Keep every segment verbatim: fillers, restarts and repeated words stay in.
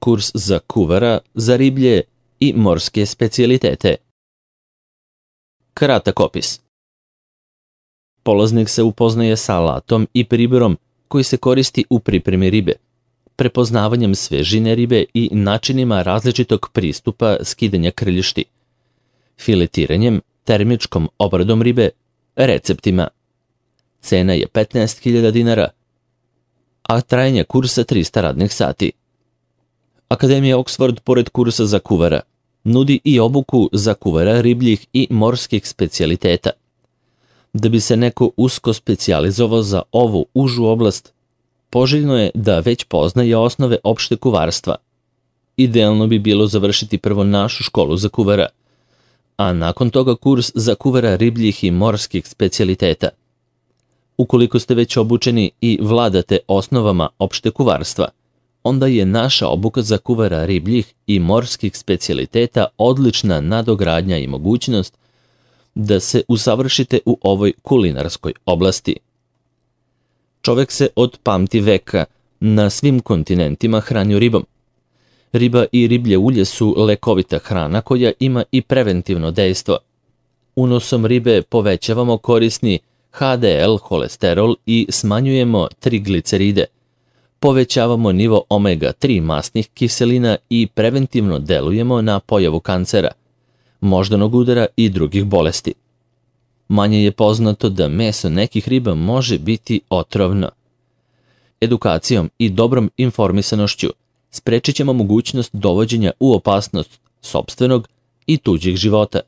kurs za kuvara, za riblje i morske specijalitete. Kratak opis. Polaznik se upoznaje sa alatom i priborom koji se koristi u pripremi ribe, prepoznavanjem svežine ribe i načinima različitog pristupa skidanja krljušti, filetiranjem, termičkom obradom ribe, receptima. Cena je petnaest hiljada dinara, a trajanje kursa trista radnih sati. Akademija Oxford, pored kursa za kuvara, nudi i obuku za kuvara ribljih i morskih specijaliteta. Da bi se neko usko specijalizovao za ovu užu oblast, poželjno je da već poznaje osnove opšte kuvarstva. Idealno bi bilo završiti prvo našu školu za kuvara, a nakon toga kurs za kuvara ribljih i morskih specijaliteta. Ukoliko ste već obučeni i vladate osnovama opšte kuvarstva, onda je naša obuka za kuvara ribljih i morskih specijaliteta odlična nadogradnja i mogućnost da se usavršite u ovoj kulinarskoj oblasti. Čovek se od pamti veka na svim kontinentima hranio ribom. Riba i riblje ulje su lekovita hrana koja ima i preventivno dejstvo. Unosom ribe povećavamo korisni ha de el holesterol i smanjujemo trigliceride. Povećavamo nivo omega tri masnih kiselina i preventivno delujemo na pojavu kancera, moždanog udara i drugih bolesti. Manje je poznato da meso nekih riba može biti otrovno. Edukacijom i dobrom informisanošću sprečit ćemo mogućnost dovođenja u opasnost sopstvenog i tuđih života.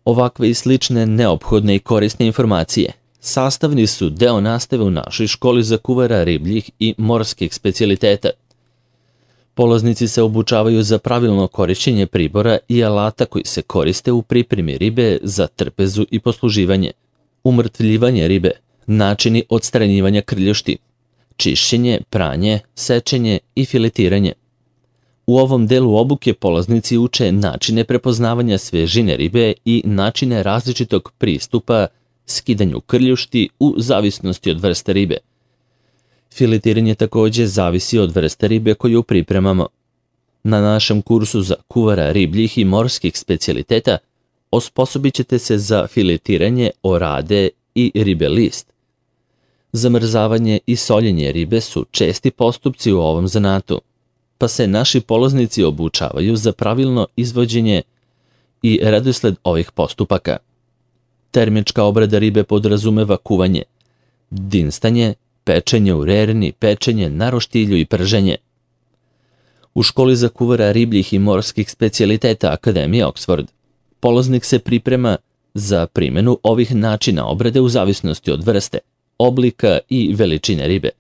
Ovakve i slične neophodne i korisne informacije sastavni su deo nastave u našoj školi za kuvara ribljih i morskih specijaliteta. Polaznici se obučavaju za pravilno korišćenje pribora i alata koji se koriste u pripremi ribe za trpezu i posluživanje, umrtvljivanje ribe, načini odstranjivanja krljušti, čišćenje, pranje, sečenje i filetiranje. U ovom delu obuke polaznici uče načine prepoznavanja svežine ribe i načine različitog pristupa skidanju krljušti u zavisnosti od vrste ribe. Filetiranje takođe zavisi od vrste ribe koju pripremamo. Na našem kursu za kuvara ribljih i morskih specijaliteta osposobit ćete se za filetiranje orade i ribe list. Zamrzavanje i soljenje ribe su česti postupci u ovom zanatu, pa se naši polaznici obučavaju za pravilno izvođenje i redosled ovih postupaka. Termička obrada ribe podrazumeva kuvanje, dinstanje, pečenje u rerni, pečenje na roštilju i prženje. U školi za kuvara ribljih i morskih specijaliteta Akademije Oxford polaznik se priprema za primjenu ovih načina obrade u zavisnosti od vrste, oblika i veličine ribe.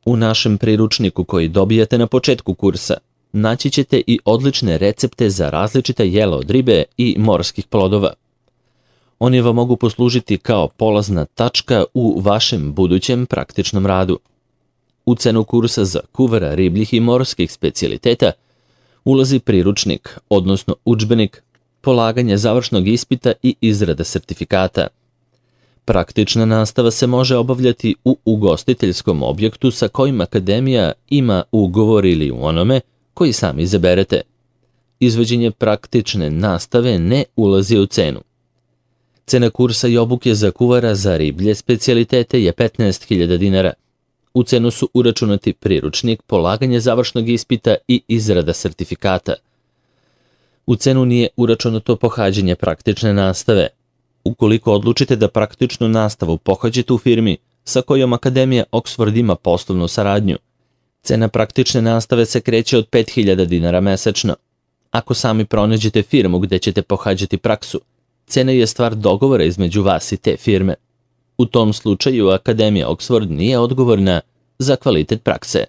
U našem priručniku koji dobijate na početku kursa naći ćete i odlične recepte za različita jela od ribe i morskih plodova. Oni vam mogu poslužiti kao polazna tačka u vašem budućem praktičnom radu. U cenu kursa za kuvara ribljih i morskih specijaliteta ulazi priručnik, odnosno udžbenik, polaganje završnog ispita i izrada sertifikata. Praktična nastava se može obavljati u ugostiteljskom objektu sa kojim akademija ima ugovor ili u onome koji sami izaberete. Izvođenje praktične nastave ne ulazi u cenu. Cena kursa i obuke za kuvara za riblje specijalitete je petnaest hiljada dinara. U cenu su uračunati priručnik, polaganje završnog ispita i izrada sertifikata. U cenu nije uračunato pohađanje praktične nastave. Ukoliko odlučite da praktičnu nastavu pohađate u firmi sa kojom Akademija Oxford ima poslovnu saradnju, cena praktične nastave se kreće od pet hiljada dinara mesečno. Ako sami pronađete firmu gde ćete pohađati praksu, cena je stvar dogovora između vas i te firme. U tom slučaju Akademija Oxford nije odgovorna za kvalitet prakse.